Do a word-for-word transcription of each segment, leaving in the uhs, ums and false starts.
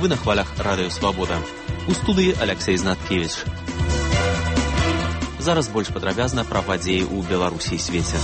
Вы на хвалях Радыё Свабода. У студыі Алексей Знаткевич. Зараз больш падрабязна пра падзеі ў Беларусі і свеце.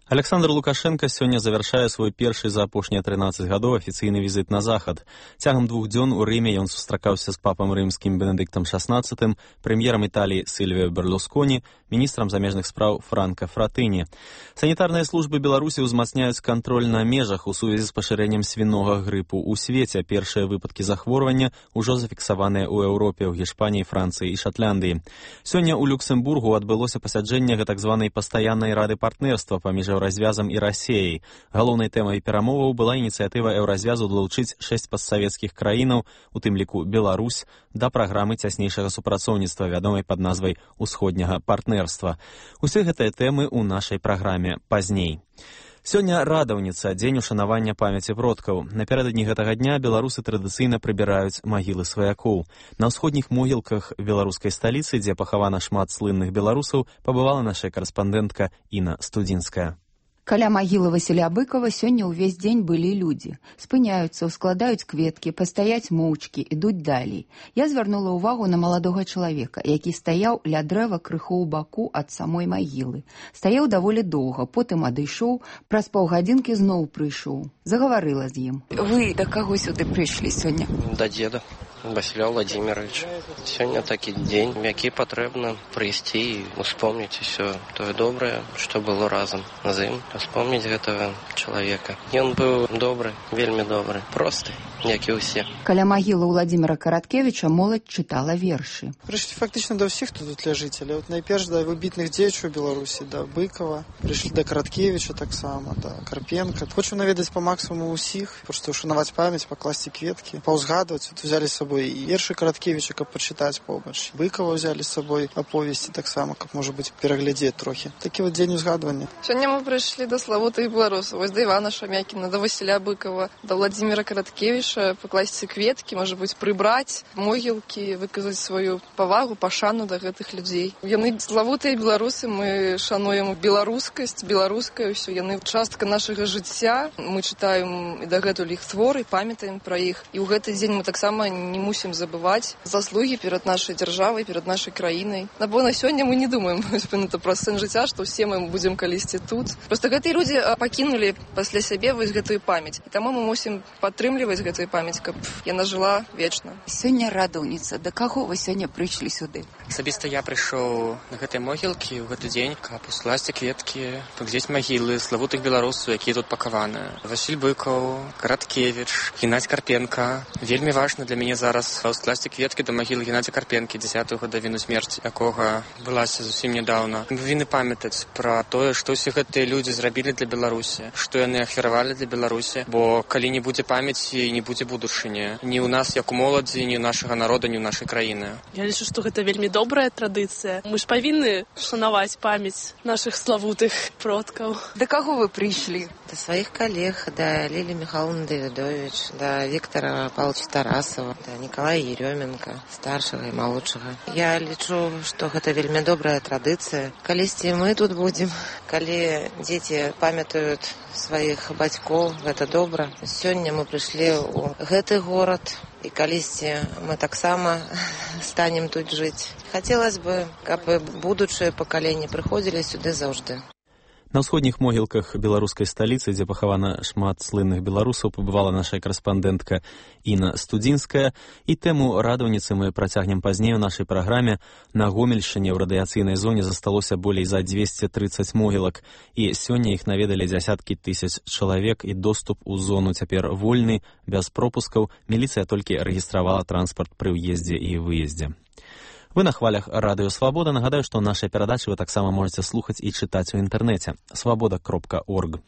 Александр Лукашенко сёння завяршае свой першы за апошнія трынаццаць гадоў афіцыйны візіт на захад. Цягам двух дзён у Рыме ён сустракаўся з папам рымскім Бенедыктам шаснаццатым, прэм'ерам Італіі Сільвіё Берлусконі, міністрам замежных спраў Франка Фратыні. Санітарныя службы Беларусі ўзмацняюць кантроль на межах у сувязі з пашырэннем свінога грыпу ў свеце. Першыя выпадкі захворвання ўжо зафіксаваныя ў Еўропе, ў Гішпаніі, Францыі і Шатландыі. Сёння ў Люксембургу адбылося пасяджэнне так званай пастаяннай рады партнерства паміж Еўразвязам і Расіяй. Галоўнай тэмай перамоваў была ініцыятыва Еўразвязу далучыць шэсць постсавецкіх краінаў, у тым ліку Беларусь, да праграмы цяснейшага супрацоўніцтва, вядомай пад назвай «Усходняга партнерства». Усе гэтыя тэмы ў нашай праграме пазней. Сёння радаўніца, дзень ушанавання памяці продкаў. Напярэдадні гэтага дня беларусы традыцыйна прыбіраюць магілы сваякоў. На ўсходніх могілках беларускай сталіцы, дзе пахавана шмат слынных беларусаў, пабывала наша карэспандэнтка Інна Студзінская. Каля магілы Васіля Быкова сёння ўвесь дзень былі людзі. Спыняюцца, ускладаюць кветкі, пастаяць моўчкі, ідуць далей. Я звярнула ўвагу на маладога чалавека, які стаяў ля дрэва крыху ў баку ад самой магілы. Стаяў даволі доўга, потым адышоў, праз паўгадзінкі зноў прыйшоў. Загаварыла з ім. Вы да каго сюды прыйшлі сёння? Да дзеда. Васіля Владимировича. Сёння такі дзень, які патрэбна прыйсці і успомніць усё тое добрае, што было разам з ім, успомніць гэтага чалавека. Ён быў добры, вельмі добры, просты, як і ўсе. Каля магілы Владимира Караткевича моладзь чытала вершы. Прыйшлі фактычна да ўсіх, хто тут ляжыць, але от найперш да выбітных дзеячаў Беларусі, да Быкова, прыйшлі да Караткевича таксама, да Карпенка. Хочу наведаць па максімуму ўсіх, проста ушанаваць памяць, пакласці кветкі, паўзгадваць, тут узялі з сабой і вершы Караткевича, каб пачытаць побач. Быкова ўзялі з сабой аповесці таксама, каб, можа быць, пераглядзець трохі. Такі вот дзень узгадвання. Сёння мы прыйшлі да славутых беларусаў, вось да Івана Шамякіна, да Васіля Быкова, да Владимира Караткевича, пакласці кветкі, можа быць, прыбраць могілкі, выказаць сваю павагу, пашану да гэтых людзей. Яны славутыя беларусы, мы шануем беларускасць, беларускае ўсё, яны частка нашага жыцця. Мы чытаем і дагэтуль іх творы, памятаем пра іх. І ў гэты дзень мы таксама не мусім забываць заслугі перад нашай дзяржавай, перад нашай краінай. Бо на сёння мы не думаем пра сэн жыцця, што ўсе мы будзем калісьці тут. Проста гэтыя людзі пакінулі пасля сябе вось гэтую памяць. І таму мы мусім падтрымліваць гэтую памяць, каб яна жыла вечна. Сёння радаўніца. Да каго вы сёння прыйшлі сюды? Асабіста я прыйшоў на гэтай могілкі ў гэты дзень, каб ускласці кветкі, паглядзець магілы славутых беларусаў, якія тут пакаваны. Васіль Быкаў, Караткевич, Геннадзь Карпенка. Вельмі важна для мяне зараз ускласці кветкі да магілы Геннадзя Карпенкі, дзясятую гадавіну смерці якога былася зусім нядаўна. Мы павінны памятаць пра тое, што ўсе гэтыя людзі зрабілі для Беларусі, што яны ахвяравалі для Беларусі, бо калі не будзе памяці, не будзе будучыні. Ні ў нас, як у моладзі, ні ў нашага народа, ні ў нашай краіны. Я лічу, што гэта вельмі добрая традыцыя. Мы ж павінны шанаваць памяць нашых славутых продкаў. Да каго вы прыйшлі? Да сваіх калег, да Лілі Михайловны Давідович, да Віктора Павловича Тарасова, да Николая Еременко, старшага і малодшага. Я лічу, што гэта вельмі добрая традыцыя. Калісьці мы тут будзем, калі дзеці памятаюць сваіх бацькоў, гэта добра. Сёння мы прыйшлі ў гэты горад, і калісьці мы таксама станем тут жыць. Хацелася бы, каб будучыя пакаленні прыходзілі сюды заўжды. На ўсходніх могілках беларускай сталіцы, дзе пахавана шмат слынных беларусаў, пабывала наша карэспандэнтка Інна Студзінская. І тэму радаўніцы мы працягнем пазней у нашай праграме. На Гомельшчыне ў радыяцыйнай зоне засталося болей за дзвесце трыццаць могілак. І сёння іх наведалі дзясяткі тысяч чалавек, і доступ у зону цяпер вольны, без пропускаў. Міліцыя толькі рэгістравала транспарт пры ўездзе і выездзе. Вы на хвалях Радыё Свабода. Нагадаю, што нашыя перадачы вы таксама можаце слухаць і чытаць у інтэрнэце свабода кропка орг.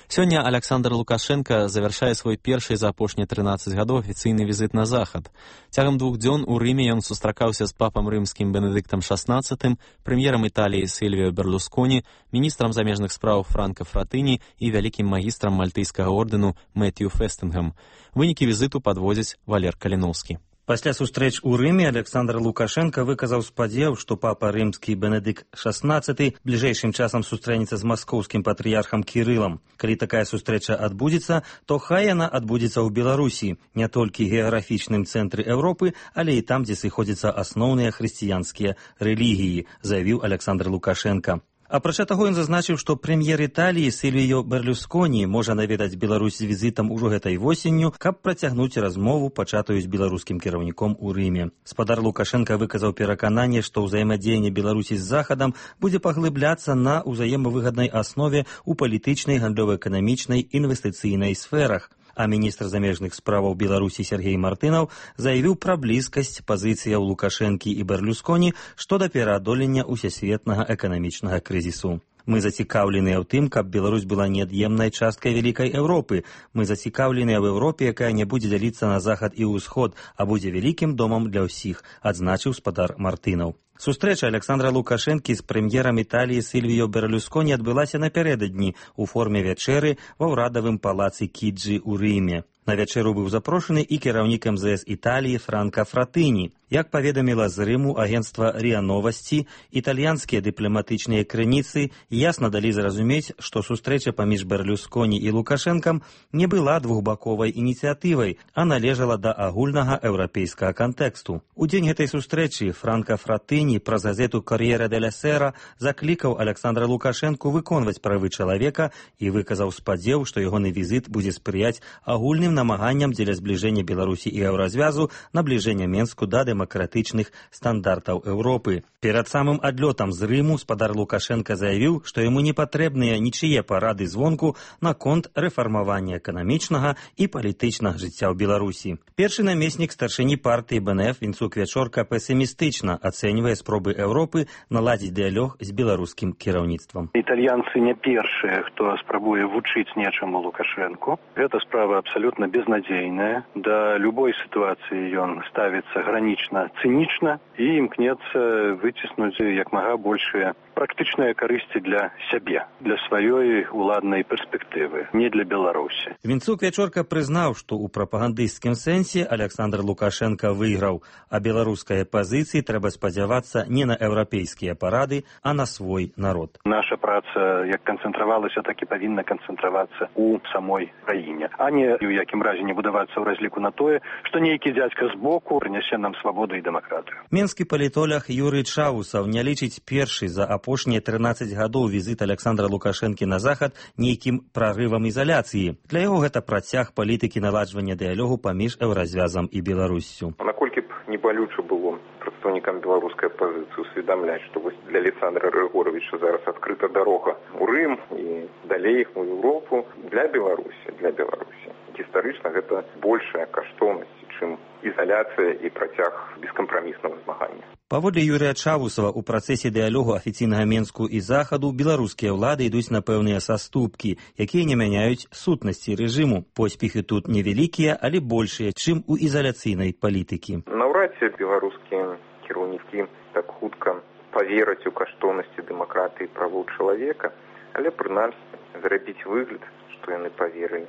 Сёння Александр Лукашенко завяршае свой першы за апошнія трынаццаць гадоў афіцыйны візіт на захад. Цягам двух дзён у Рыме ён сустракаўся з папам рымскім Бенедыктам шаснаццатым, прэм'ерам Італіі Сільвіё Берлусконі, міністрам замежных спраў Франка Фратыні і вялікім магістрам мальтыйскага ордэну Мэтью Фестынгам. Вынікі візіту падводзіць Валер Каліноўскі. Пасля сустрэч у Рыме Александр Лукашенко выказаў спадзеў, што папа рымскі Бенедыкт шаснаццаты бліжэйшым часам сустрэнецца з маскоўскім патрыярхам Кірылам. Калі такая сустрэча адбудзецца, то хай яна адбудзецца ў Беларусі, не толькі геаграфічным цэнтры Еўропы, але і там, дзе сыходзяцца асноўныя хрысціянскія рэлігіі, заявіў Александр Лукашенко. Апрача таго, ён зазначыў, што прэм'ер Італіі Сільвіё Берлюсконі можа наведаць Беларусь з візітам ужо гэтай восенню, каб працягнуць размову, пачатую з беларускім кіраўніком у Рыме. Спадар Лукашенка выказаў перакананне, што ўзаемадзеянне Беларусі з Захадам будзе паглыбляцца на ўзаемавыгаднай аснове ў палітычнай, гандлёва-эканамічнай, інвестыцыйнай сферах. А міністр замежных справаў Беларусі Сергей Мартынаў заявіў пра блізкасць пазіцыяў Лукашэнкі і Берлюсконі што да пераадолення ўсесветнага эканамічнага крызісу. Мы зацікаўленыя ў тым, каб Беларусь была неад'емнай часткай вялікай Еўропы. Мы зацікаўленыя ў Еўропе, якая не будзе дзяліцца на захад і ўсход, а будзе вялікім домам для ўсіх, адзначыў спадар Мартынаў. Сустрэча Александра Лукашэнкі з прэм'ерам Італіі Сільвіё Берлюсконі адбылася напярэдадні ў форме вячэры ва ўрадавым палацы Кіджі ў Рыме. На вячэру быў запрошаны і кіраўнік эм зэ эс Італіі Франка Фратыні. Як паведаміла з Рыму агенцтва РИА Новасці, італьянскія дыпламатычныя крыніцы ясна далі зразумець, што сустрэча паміж Берлюсконі і Лукашэнкам не была двухбаковай ініцыятывай, а належала да агульнага еўрапейскага кантэксту. У дзень гэтай сустрэчы Франка Фратыні праз газету «Кор'єре деля Сера» заклікаў Александра Лукашэнку выконваць правы чалавека і выказаў спадзеў, што ягоны візіт будзе спрыяць агульным намаганням дзеля збліжэння Беларусі і Еўразвязу, набліжэння Менску да дэмакратычных стандартаў Еўропы. Перад самым адлётам з Рыму спадар Лукашенко заявіў, што яму не патрэбныя нічые парады звонку наконт рэфармавання эканамічнага і палітычнага жыцця ў Беларусі. Першы намеснік старшыні партыі бэ эн эф Вінцук Вячорка песімістычна ацэньвае спробы Еўропы наладзіць дыялог з беларускім кіраўніцтвам. Італьянцы не першыя, хто спрабуе вучыць нечаму Лукашэнку. Гэта справа абсалютна безнадзейная. Да любой сітуацыі ён ставіцца гранічна цынічна і імкнецца выціснуць як мага большыя практычныя карысці для сябе, для сваёй уладнай перспектывы, не для Беларусі. Вінцук Вячорка прызнаў, што ў прапагандысцкім сэнсе Александр Лукашенко выйграў, а беларускай пазіцыі трэба спадзявацца не на еўрапейскія парады, а на свой народ. Наша праца як канцэнтравалася, так і павінна канцэнтравацца ў самой краіне, а не ў якім разе не будавацца ў разліку на тое, што нейкі дзядзька збоку прынясе нам свабоду і дэмакратыю. Менскі палітолог Юрый Чаусаў не лічыць першы за апошнія трынаццаць гадоў візіт Александра Лукашэнкі на захад нейкім прарывам ізаляцыі. Для яго гэта працяг палітыкі наладжвання дыялогу паміж Еўразвязам і Беларуссю. Наколькі б не балюча было прадстаўнікам беларускай апазіцыі усведамляць, што вось для Александра Григоровича зараз адкрыта дарога ў Рым і далей у Еўропу для Беларусі, для Беларусі. Гістарычна гэта большая каштоўнасць, чым ізаляцыя і працяг бескампраміснага змагання. Паводле Юрыя Чавусава, у працэсе дыялогу афіцыйнага Менску і Захаду беларускія ўлады ідуць на пэўныя саступкі, якія не мяняюць сутнасці рэжыму. Поспехі тут невялікія, але большыя, чым у ізаляцыйнай палітыкі. Наўрад ці беларускія кіраўнікі так хутка павераць у каштоўнасці дэмакратыі і правоў чалавека, але прынамсі зрабіць выгляд, што яны паверылі.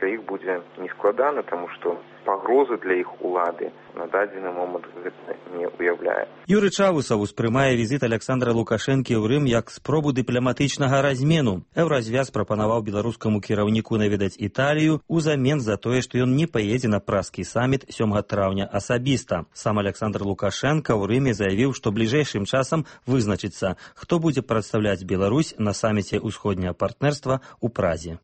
Для іх будзе нескладана, таму што пагрозы для іх улады на дадзены момант гэта не уяўляе. Юрый Чавусаў успрымае візіт Александра Лукашэнкі ў Рым як спробу дыпламатычнага размену. Еўразвяз прапанаваў беларускаму кіраўніку наведаць Італію узамен за тое, што ён не паедзе на празкі саміт сёмага траўня асабіста. Сам Александр Лукашенко ў Рыме заявіў, што бліжэйшым часам вызначыцца, хто будзе прадстаўляць Беларусь на саміце ўсходняга партнерства ў Празе.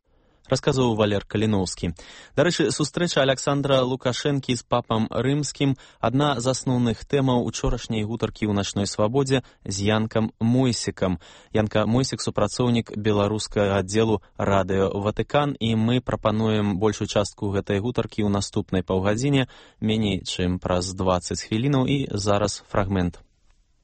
Расказваў Валер Каліноўскі. Дарэчы, сустрэча Александра Лукашэнкі з папам рымскім адна з асноўных тэмаў учорашняй гутаркі ў начной свабодзе з Янкам Мойсікам. Янка Мойсік — супрацоўнік беларускага аддзелу радыё Ватыкан, і мы прапануем большую частку гэтай гутаркі ў наступнай паўгадзіне, меней чым праз дваццаць хвілінаў, і зараз фрагмент.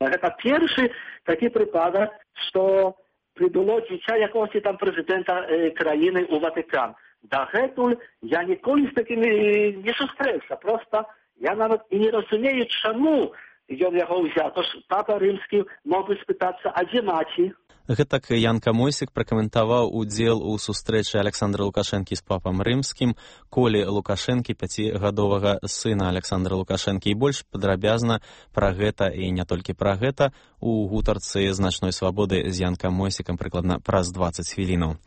Гэта першы такі прыпадак, што прыбыло дзіця якогось там прэзідэнта э, краіны ў Ватыкан. Дагэтуль я ніколі з такімі не сустрэўся. Проста я нават і не разумею, чаму ён яго ўзяў. Тож папа рымскі мог бы спытацца, а дзе маці? Гэтак Янка Мойсік пракаментаваў удзел у сустрэчы Александра Лукашэнкі з папам рымскім, Колі Лукашэнкі, пяцігадовага сына Александра Лукашэнкі. І больш падрабязна пра гэта і не толькі пра гэта у гутарцы з «Начной свабоды» з Янкам Мойсікам прыкладна праз дваццаць хвілінаў.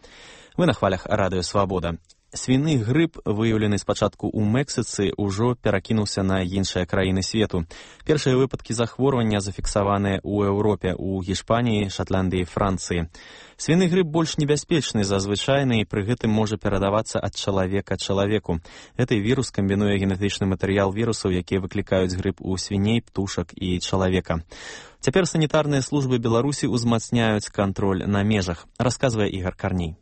Вы на хвалях радыё «Свабода». Свіны грып, выяўлены спачатку ў Мексіцы, ужо перакінуўся на іншыя краіны свету. Першыя выпадкі захворвання зафіксаваныя ў Еўропе, у Гішпаніі, Шатландыі, Францыі. Свіны грып больш небяспечны за звычайны і пры гэтым можа перадавацца ад чалавека чалавеку. Гэты вірус камбінуе генетычны матэрыял вірусаў, якія выклікаюць грып у свіней, птушак і чалавека. Цяпер санітарныя службы Беларусі ўзмацняюць кантроль на межах, расказвае Ігар Карней.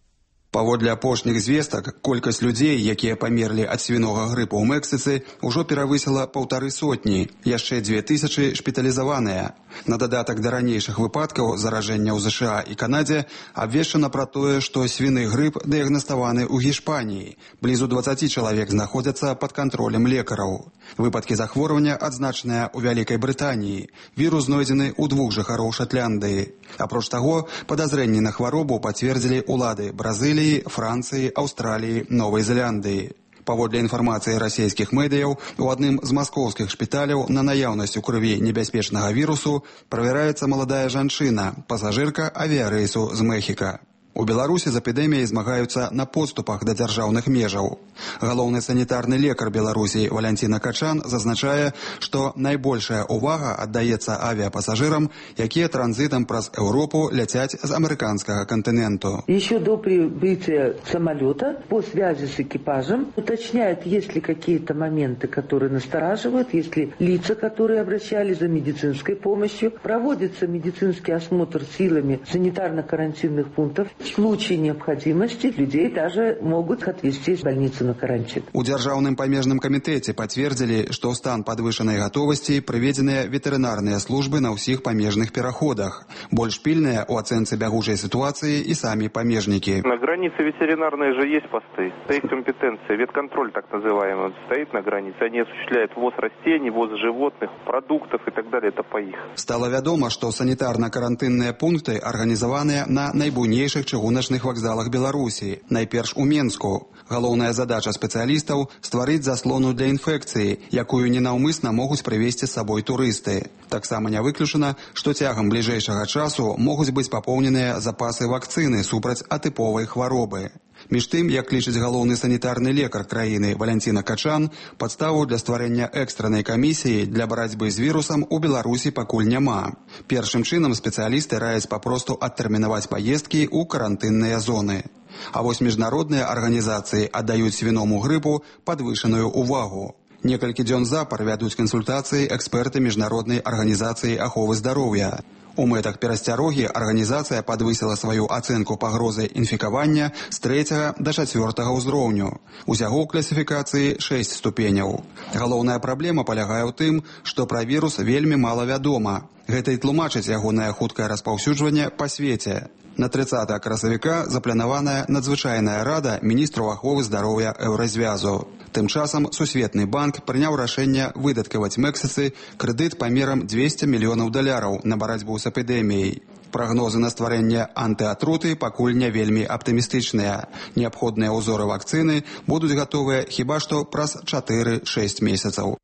Паводле апошніх звестак, колькасць людзей, якія памерлі ад свінога грыпу ў Мексіцы, ужо перавысіла паўтары сотні, яшчэ дзве тысячы шпіталізаваныя. На дадатак да ранейшых выпадкаў заражэння ў ЗША і Канадзе абвешчана пра тое, што свіны грып дыягнаставаны ў Гішпаніі. Блізу дваццаці чалавек знаходзяцца пад кантролем лекараў. Выпадкі захворвання адзначаныя ў Вялікай Брытаніі. Вірус знойдзены ў двух жыхароў Шатландыі. Апроч таго, падазрэнні на хваробу пацвердзілі ўлады Бразыліі, Францыі, Аўстраліі, Новай Зеландыі. Паводле інфармацыі расійскіх медыяў, у адным з маскоўскіх шпіталяў на наяўнасць у крыві небяспечнага вірусу правяраецца маладая жанчына, пасажырка авіярэйсу з Мехіка. У Беларусі з эпідэміяй змагаюцца на подступах да дзяржаўных межаў. Галоўны санітарны лекар Беларусі Валянціна Качан зазначае, што найбольшая ўвага аддаецца авіапасажырам, якія транзітам праз Еўропу ляцяць з амерыканскага континенту. Еще до прибытия самолета по связи с экипажем уточняют, есть ли какие-то моменты, которые настораживают, есть ли лица, которые обращались за медицинской помощью. Проводится медицинский осмотр силами санитарно-карантинных пунктов. В случае необходимости людей даже могут отвезти в больницу на карантин. У Дзяржаўным памежным камітэце пацвердзілі, што ў стан падвышанай гатовасці прыведзеныя ветэрынарныя службы на ўсіх памежных пераходах. Больш пільныя ў ацэнцы бягучай сітуацыі і самі памежнікі. На границе ветеринарные же есть посты, стоит компетенция, ветконтроль так называемый, стоит на границе. Они осуществляют ввоз растений, ввоз животных, продуктов и так далее, это по их. Стало вядома, што санітарна-карантынныя пункты арганізаваныя на найбуйнейшых чыгуначных вакзалах Беларусі, найперш у Менску. Галоўная задача спецыялістаў – стварыць заслону для інфекцыі, якую ненаўмысна могуць прывезці з сабой турысты. Таксама не выключана, што цягам бліжэйшага часу могуць быць папоўненыя запасы вакцыны супраць атыповай хваробы. Між тым, як лічыць галоўны санітарны лекар краіны Валянціна Качан, падставу для стварэння экстраннай камісіі для барацьбы з вірусам у Беларусі пакуль няма. Першым чынам спецыялісты раяць папросту адтэрмінаваць паездкі ў карантынныя зоны. А вось міжнародныя арганізацыі аддаюць свіному грыпу падвышаную ўвагу. Некалькі дзён запар вядуць кансультацыі эксперты міжнароднай арганізацыі аховы здароўя. У мэтах перасцярогі арганізацыя падвысіла сваю ацэнку пагрозы інфікавання з трэцяга да чацвёртага ўзроўню. Усяго ў класіфікацыі шэсць ступеняў. Галоўная праблема палягае ў тым, што пра вірус вельмі мала вядома. Гэта і тлумачыць ягонае хуткае распаўсюджванне па свеце. На трыццатага красавіка запланаваная надзвычайная рада міністраў аховы здароўя Еўразвязу. Тым часам Сусветны банк прыняў рашэнне выдаткаваць Мексіцы крэдыт памерам дзвесце мільёнаў даляраў на барацьбу з эпідэміяй. Прагнозы на стварэнне антыатруты пакуль не вельмі аптымістычныя. Неабходныя ўзоры вакцыны будуць гатовыя хіба што праз чатыры-шэсць месяцаў.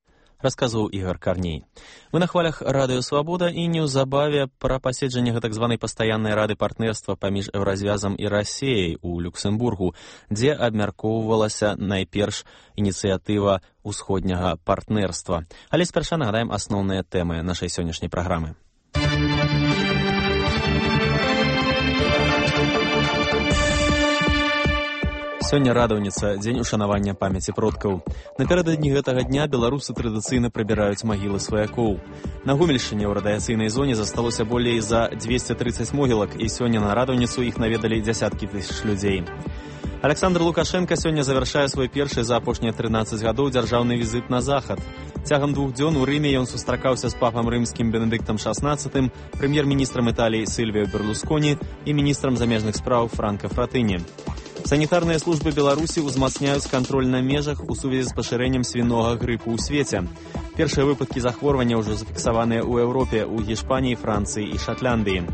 Расказваў Ігар Карней. Мы на хвалях радыё «Свабода» і неўзабаве пра паседжанне гэтак званай пастаяннай рады партнерства паміж Еўразвязам і Расіяй у Люксембургу, дзе абмяркоўвалася найперш ініцыятыва ўсходняга партнерства. Але спярша нагадаем асноўныя тэмы нашай сённяшняй праграмы. Сёння радаўніца, дзень ушанавання памяці продкаў. Напярэдадні гэтага дня беларусы традыцыйна прыбіраюць магілы сваякоў. На Гомельшчыне ў радыяцыйнай зоне засталося болей за дзвесце трыццаць могілак, і сёння на радаўніцу іх наведалі дзясяткі тысяч людзей. Александр Лукашенко сёння завяршае свой першы за апошнія трынаццаць гадоў дзяржаўны візіт на захад. Цягам двух дзён у Рыме ён сустракаўся з папам рымскім Бенедыктам шаснаццатым, прэм'ер-міністрам Італіі Сільвіё Берлусконі і міністрам замежных спраў Франка Фратыні. Санітарныя службы Беларусі ўзмацняюць кантроль на межах у сувязі з пашырэннем свінога грыпу ў свеце. Першыя выпадкі захворвання ўжо зафіксаваныя ў Еўропе, у Гішпаніі, Францыі і Шатландыі.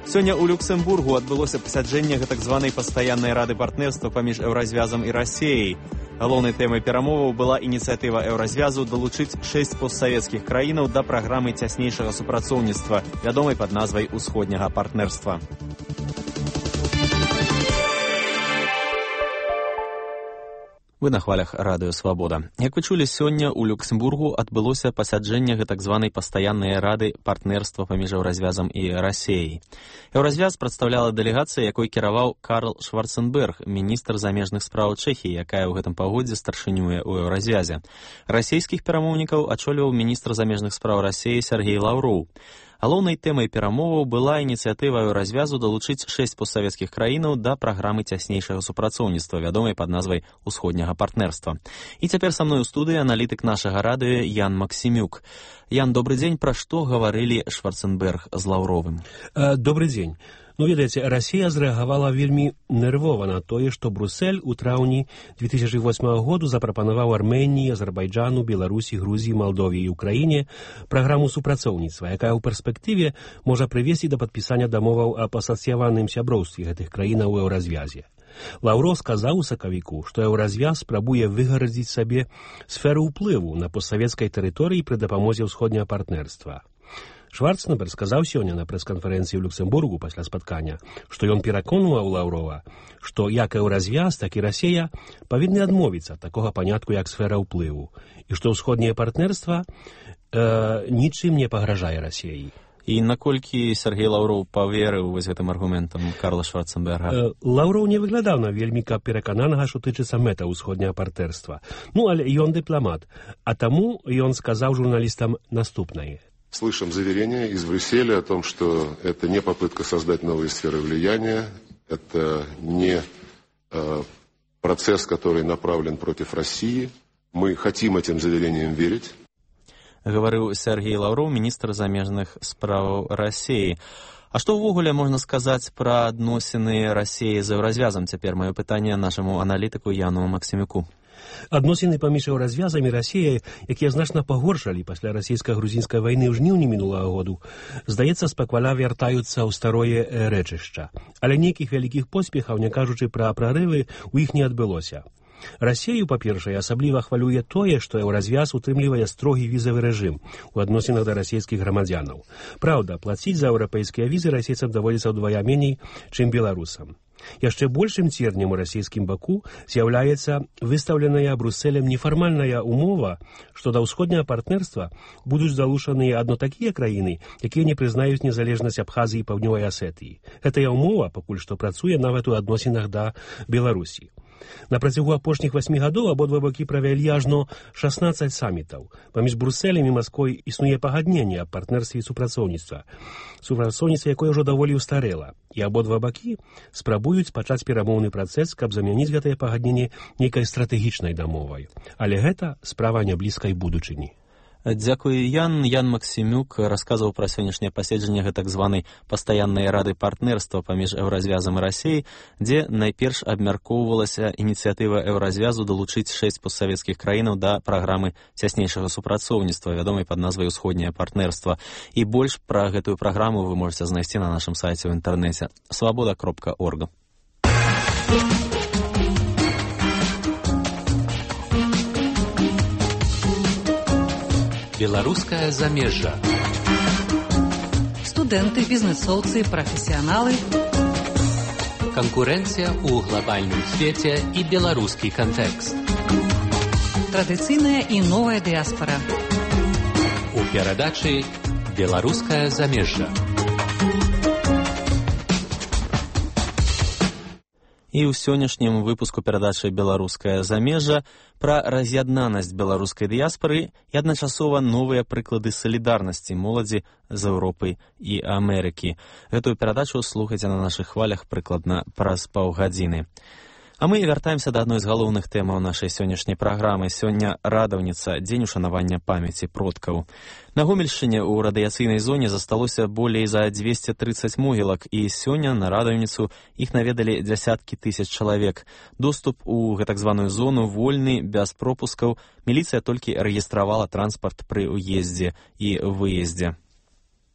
Сёння ў Люксембургу адбылося пасяджэнне гэтак званай пастаяннай рады партнерства паміж Еўразвязам і Расіяй. Галоўнай тэмай перамоваў была ініцыятыва Еўразвязу далучыць шэсць постсавецкіх краінаў да праграмы цяснейшага супрацоўніцтва, вядомай пад назвай усходняга партнерства. Вы на хвалях радыё «Свабода». Як вы чулі, сёння ў Люксембургу адбылося пасяджэнне гэтак званай пастаяннай рады партнерства паміж Еўразвязам і Расіяй. Еўразвяз прадстаўляла дэлегацыя, якой кіраваў Карл Шварценберг, міністр замежных спраў Чэхіі, якая ў гэтым пагодзе старшынюе ў Еўразвязе. Расійскіх перамоўнікаў ачоліваў міністр замежных спраў Расіі Сергей Лаўроў. Галоўнай тэмай перамоваў была ініцыятыва Еўразвязу далучыць шэсць постсавецкіх краінаў да праграмы цяснейшага супрацоўніцтва, вядомай пад назвай усходняга партнерства. І цяпер са мной у студыі аналітык нашага радыё Ян Максімюк. Ян, добры дзень, пра што гаварылі Шварценберг з Лаўровым? Добры дзень. Ну, ведаеце, Расія зрэагавала вельмі нервова на тое, што Брусэль у траўні две тысячы восьмага году запрапанаваў Арменіі, Азербайджану, Беларусі, Грузіі, Малдове і Украіне праграму супрацоўніцтва, якая ў перспектыве можа прывесці да падпісання дамоваў аб асацыяваным сяброўстве гэтых краінаў у Еўразвязе. Лаўроў сказаў у сакавіку, што Еўразвяз спрабуе выгарадзіць сабе сферу ўплыву на постсавецкай тэрыторыі пры дапамозе ўсходняга партнерства. Шварценберг сказаў сёння на прэс-канферэнцыі ў Люксембургу пасля спаткання, што ён пераконваў Лаўрова, што як Еўразвяз, так і Расія павінны адмовіцца ад такога панятку, як сфера ўплыву, і што ўсходняе партнерства э, нічым не пагражае Расіі. І наколькі Сергей Лаўроў паверыў вось гэтым аргументам Карла Шварценберга? Лаўроў не выглядаў на вельмі каб перакананага, што тычыцца мэта ўсходняга партнерства. Ну, але ён дыпламат, а таму ён сказаў журналістам наступнае. Слышим заверения из Брюсселя о том, что это не попытка создать новые сферы влияния, это не э, процесс, который направлен против России. Мы хотим этим заверениям верить. Гаварыў Сергей Лаўроў, міністр замежных спраў Расіі. А што ўвогуле можна сказаць пра адносіны Расіі з Еўразвязам? Цяпер маё пытанне нашаму аналітыку Яну Максімюку. Адносіны паміж Еўразвязам і Расіяй, якія значна пагоршалі пасля расійска-грузінскай вайны ў жніўні мінулага году, здаецца, спакваля вяртаюцца ў старое рэчышча. Але нейкіх вялікіх поспехаў, не кажучы пра прарывы, у іх не адбылося. Расію, па-першае, асабліва хвалюе тое, што Еўразвяз утрымлівае строгі візавы рэжым у адносінах да расійскіх грамадзянаў. Праўда, плаціць за еўрапейскія візы расійцам даводзіцца ўдвая меней, чым беларусам. Яшчэ большым цернем у расійскім баку з'яўляецца выстаўленая Брусэлем нефармальная умова, што да ўсходняга партнерства будуць залучаныя адно такія краіны, якія не прызнаюць незалежнасць Абхазіі і Паўднёвай Асетыі. Гэтая умова пакуль што працуе нават у адносінах да Беларусі. На працягу апошніх васьмі гадоў абодва бакі правялі ажно шаснаццаць самітаў. Паміж Брусэлем і Масквой існуе пагадненне аб партнерстве і супрацоўніцтва. Супрацоўніцтва, якое ўжо даволі ўстарэла. І абодва бакі спрабуюць пачаць перамоўны працэс, каб замяніць гэтае пагадненне нейкай стратэгічнай дамовай. Але гэта справа няблізкай будучыні. Дзякуй, Ян. Ян Максімюк расказваў пра сённяшняе паседжанне гэтак званай пастаяннай рады партнерства паміж Еўразвязам і Расіяй, дзе найперш абмяркоўвалася ініцыятыва Еўразвязу далучыць шэсць постсавецкіх краінаў да праграмы цяснейшага супрацоўніцтва, вядомай пад назвай усходняе партнерства. І больш пра гэтую праграму вы можаце знайсці на нашым сайце ў інтэрнэце свабода кропка орг. Беларускае замежжа. Студэнты, бізнэсоўцы, прафесіяналы. Канкурэнцыя ў глобальным свеце і беларускі кантэкст. Традыцыйная і новая дыяспара. У перадачы «Беларускае замежжа». І ў сённяшнім выпуску перадачы «Беларускае замежжа» пра раз'яднанасць беларускай дыяспары і адначасова новыя прыклады салідарнасці моладзі з Еўропай і Амерыкі. Гэтую перадачу слухайце на нашых хвалях прыкладна праз паўгадзіны. А мы вяртаемся да адной з галоўных тэмаў нашай сённяшняй праграмы. Сёння радаўніца, дзень ушанавання памяці продкаў. На Гомельшчыне ў радыяцыйнай зоне засталося болей за дзвесце трыццаць могілак, і сёння на радаўніцу іх наведалі дзясяткі тысяч чалавек. Доступ у гэтак званую зону вольны, без пропускаў. Міліцыя толькі рэгістравала транспарт пры ўездзе і выездзе.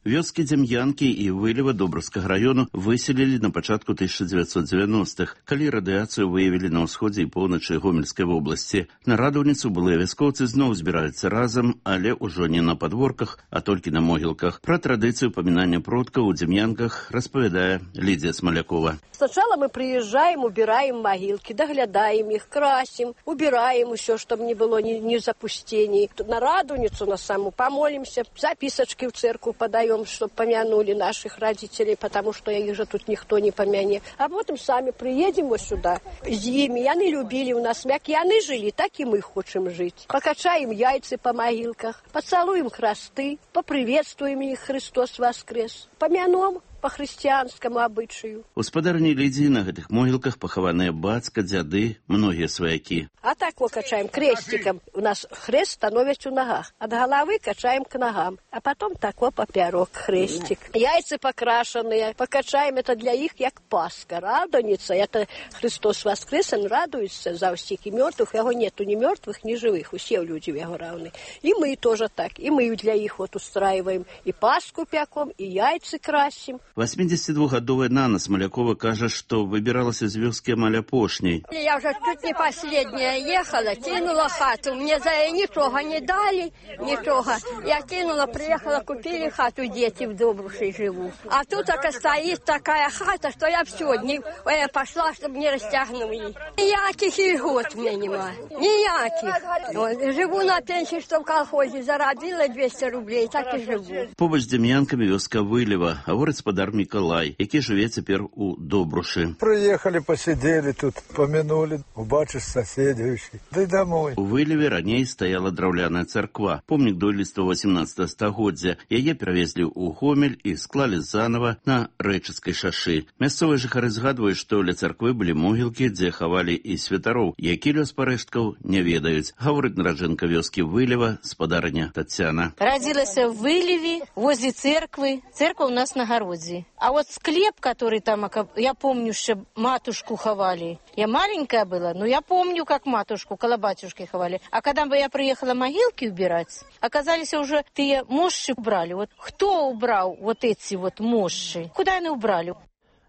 Вёскі Дзем'янкі і Вылева Добраўскага раёну выселілі на пачатку тысяча дзевяцьсот дзевяностых, калі радыяцыю выявілі на ўсходзе і поўначы Гомельскай вобласці. На радаўніцу былыя вяскоўцы зноў збіраюцца разам, але ўжо не на падворках, а толькі на могілках. Пра традыцыю памінання продкаў у Дзем'янках распавядае Лідзія Смалякова. Сначала мы приезжаем, убираем могилки, доглядаем их, красим, убираем все, чтобы не было ни, ни запустений. На радуницу на саму помолимся, записочки в церковь подаем, чтобы помянули наших родителей, потому что их же тут никто не помянет. А потом сами приедем вот сюда. С ними, яны любили у нас, как яны жили, так и мы хотим жить. Покачаем яйца по могилках, поцелуем храсты, поприветствуем их, Христос воскрес, помянем по хрысціянскаму абычаю. Гаспадарні Лідзіі на гэтых могілках пахаваныя бацька, дзяды, многія сваякі. А так вот качаем крестиком. У нас хрест становится у ногах. От головы качаем к ногам. А потом так вот поперек крестик. Яйца покрашенные. Покачаем это для их, как Пасха. Радуница. Это Христос воскрес, он радуется за всех и мертвых. Его нету ни мертвых, ни живых. Все люди его равны. И мы тоже так. И мы для их вот устраиваем. И Пасху пеком, и яйца красим. восьмидесятидвухгадовая Нана Смалякова кажа, што выбіралася з вёскі амаль апошняй. Я уже чуть не последняя ехала, кинула хату. Мне за ничего не дали, ничего. Я кинула, приехала, купили хату, дети в Добруши живут. А тут так стоит такая хата, что я все, не, я пошла, чтобы не растягнули. Никаких льгот мне нема, никаких. Вот, живу на пенсии, что в колхозе заробила двести рублей, так и живу. Побач з Дзем'янкамі вёска Вылева, гаворыць спадар Миколай, які жыве цяпер у Добрушы. Приехали, посидели тут, помянули, убачишь соседей, да и домой. У Вылеве раней стаяла драўляная царква, помнік дойлідства восемнадцатага стагоддзя. Яе перавезлі ў Гомель і склалі занова на Рэчыцкай шашы. Мясцовыя жыхары згадваюць, што ля царквы былі могілкі, дзе хавалі і святароў, які лёс парэшткаў не ведаюць. Гаворыць нараджэнка вёскі Вылева, спадарыня Тацяна. Родилась в Вылеве, возле церквы. Церква у нас на городе. А вот склеп, который там, я помню, что матушку ховали. Я маленькая была, но я помню, как матушку, около батюшки ховали. А когда бы я приехала могилки убирать, оказались уже те мощи убрали. Вот кто убрал вот эти вот мощи? Куда они убрали?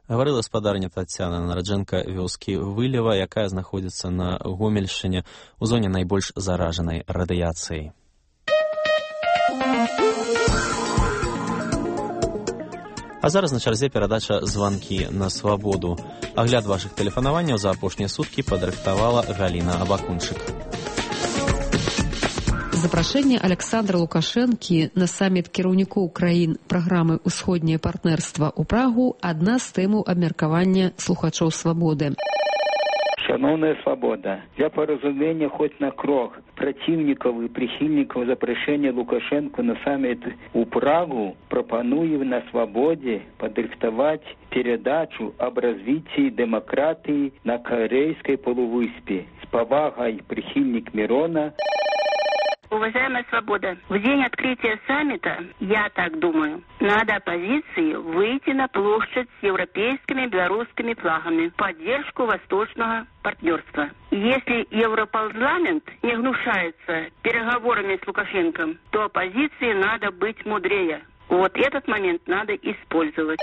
Гаварыла спадарня Тацяна, нараджэнка вёскі Вылева, якая знаходзіцца на Гомельшчыне у зоне найбольш заражанай радыяцыяй. А зараз на чарзе перадача «Званкі на свабоду». Агляд вашых тэлефанаванняў за апошнія суткі падрыхтавала Галіна Абакунчык. Запрашэнне Александра Лукашэнкі на саміт кіраўнікоў краін праграмы «Усходняе партнерства» ў Прагу – адна з тэмаў абмеркавання слухачоў «Свабоды». Шановная свобода, для поразумения хоть на крок противников и прихильников запрошения Лукашенко на саммит у Прагу пропоную на свободе подрихтовать передачу об развитии демократии на Корейской полувыспе. С повагой прихильник Мирона. Уважаемая свобода, в день открытия саммита, я так думаю, надо оппозиции выйти на площадь с европейскими и белорусскими флагами в поддержку восточного партнерства. Если Европарламент не гнушается переговорами с Лукашенко, то оппозиции надо быть мудрее. Вот этот момент надо использовать.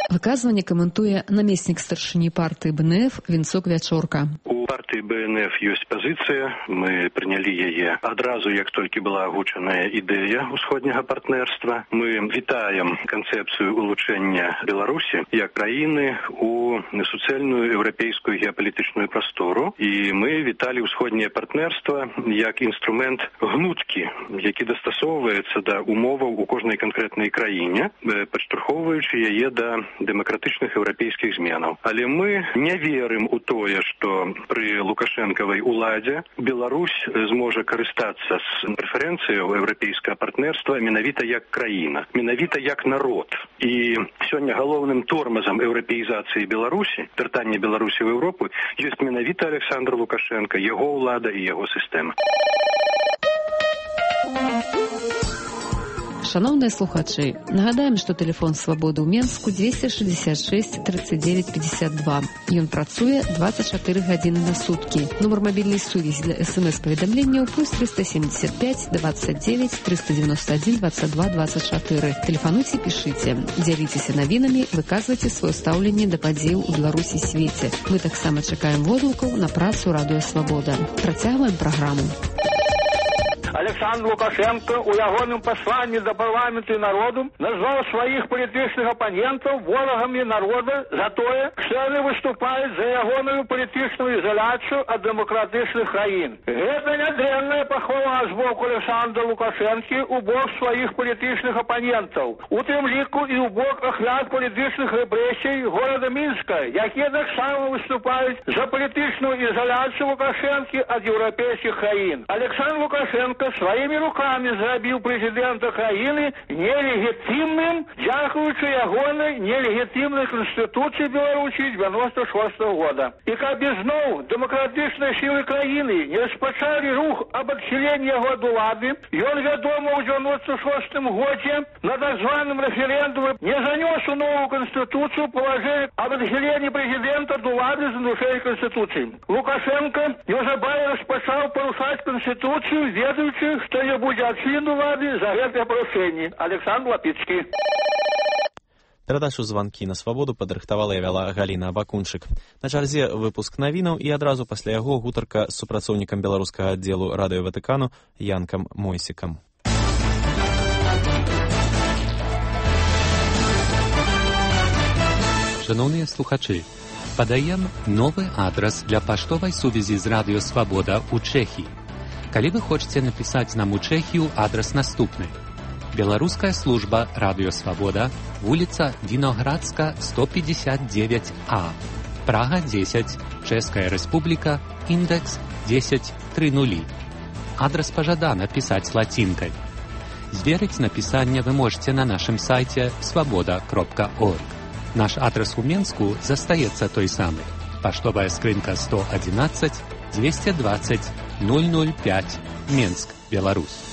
Выказванне каментуе намеснік старшыні партыі Бэ Эн Эф Вінцок Вячорка. У партыі Бэ Эн Эф ёсць пазіцыя, мы прынялі яе адразу, як толькі была агучаная ідэя усходняга партнерства. Мы вітаем канцэпцыю улучшэння Беларусі як краіны у суцэльную еўрапейскую геапалітычную прастору, і мы віталі усходняе партнерства як інструмент гнуткі, які дастасоўваецца да умоваў у кожнай канкрэтнай краіне, падштурхоўваючы яе да дэмакратычных еўрапейскіх зменаў. Але мы не верым у тое, што пры лукашэнкавай уладзе Беларусь зможа карыстацца з прэферэнцыяў еўрапейскага партнерства менавіта як краіна, менавіта як народ. І сёння галоўным тормазам еўрапеізацыі Беларусі, вяртання Беларусі ў Еўропу, ёсць менавіта Александр Лукашенко, яго ўлада і яго сістэма. Шановныя слухачы, нагадаем, што тэлефон свабоды ў Менску двести шестьдесят шесть тридцать девять пятьдесят два. Ён працуе двадцать четыре гадзіны на суткі. Нумар мабільнай сувязі для эс-эм-эс-паведамленняў плюс триста семьдесят пять двадцать девять триста девяносто один двадцать два двадцать четыре. Тэлефануйце, пішыце, дзяліцеся навінамі, выказвайце сваё стаўленне да падзеяў у Беларусі і свеце. Мы таксама чакаем водгукаў на працу Радыё Свабода. Працягваем праграму. Александр Лукашенко у ягоным пасланні да парламенту і народу назваў сваіх палітычных апанентаў ворагамі народа за тое, што яны выступаюць за ягоную палітычную ізаляцыю ад дэмакратычных краін. Гэта нядрэнная пахвала з боку Александра Лукашэнкі у бок сваіх палітычных апанентаў, у тым ліку і ў бок ахвяр палітычных рэпрэсій горада Мінска, якія таксама выступаюць за палітычную ізаляцыю Лукашэнкі ад еўрапейскіх краін. Александр Лукашенко своими руками зрабіў прэзідэнта краіны нелегітимным, дзякуючы ягонай нелегітимнай Конституцыі Беларусі девяносто шестого года. І каб ізноў дэмакратычныя сілы краіны не распачалі рух об адхіленні яго ад улады, ён, вядома, у девяносто шестом годзе на так званым рэферэндуме не занёс у новую Конституцыю палажэнне об адхіленні прэзідэнта ад улады з нарушэннем Конституцыі. Лукашенко неўзабаве распачаў парушаць Конституцыю, ведаючы, што не будзе адхілен улады за гэтае парушэнне. Александр Лапіцкі. Перадачу «Званкі на свабоду» падрыхтавала і вяла Галіна Абакунчык. На чарзе выпуск навінаў і адразу пасля яго гутарка з супрацоўнікам беларускага аддзелу Радыё Ватыкану Янкам Мойсікам. Шановныя слухачы, падаем новы адрас для паштовай сувязі з Радыё Свабода ў Чэхіі. Калі вы хочаце напісаць нам у Чэхію, адрас наступны. Беларуская служба Радыё Свабода, вуліца Віноградска, сто пятьдесят девять А, Прага десять, Чэшская Рэспубліка, індекс десять тридцать. Адрас пажадана пісаць лацінкай. Зверыць напісанне вы можете на нашым сайце свабода кропка орг. Наш адрас у Менску застаецца той самы. Паштовая скрынка сто одиннадцать двести двадцать ноль ноль пять, Менск, Беларусь.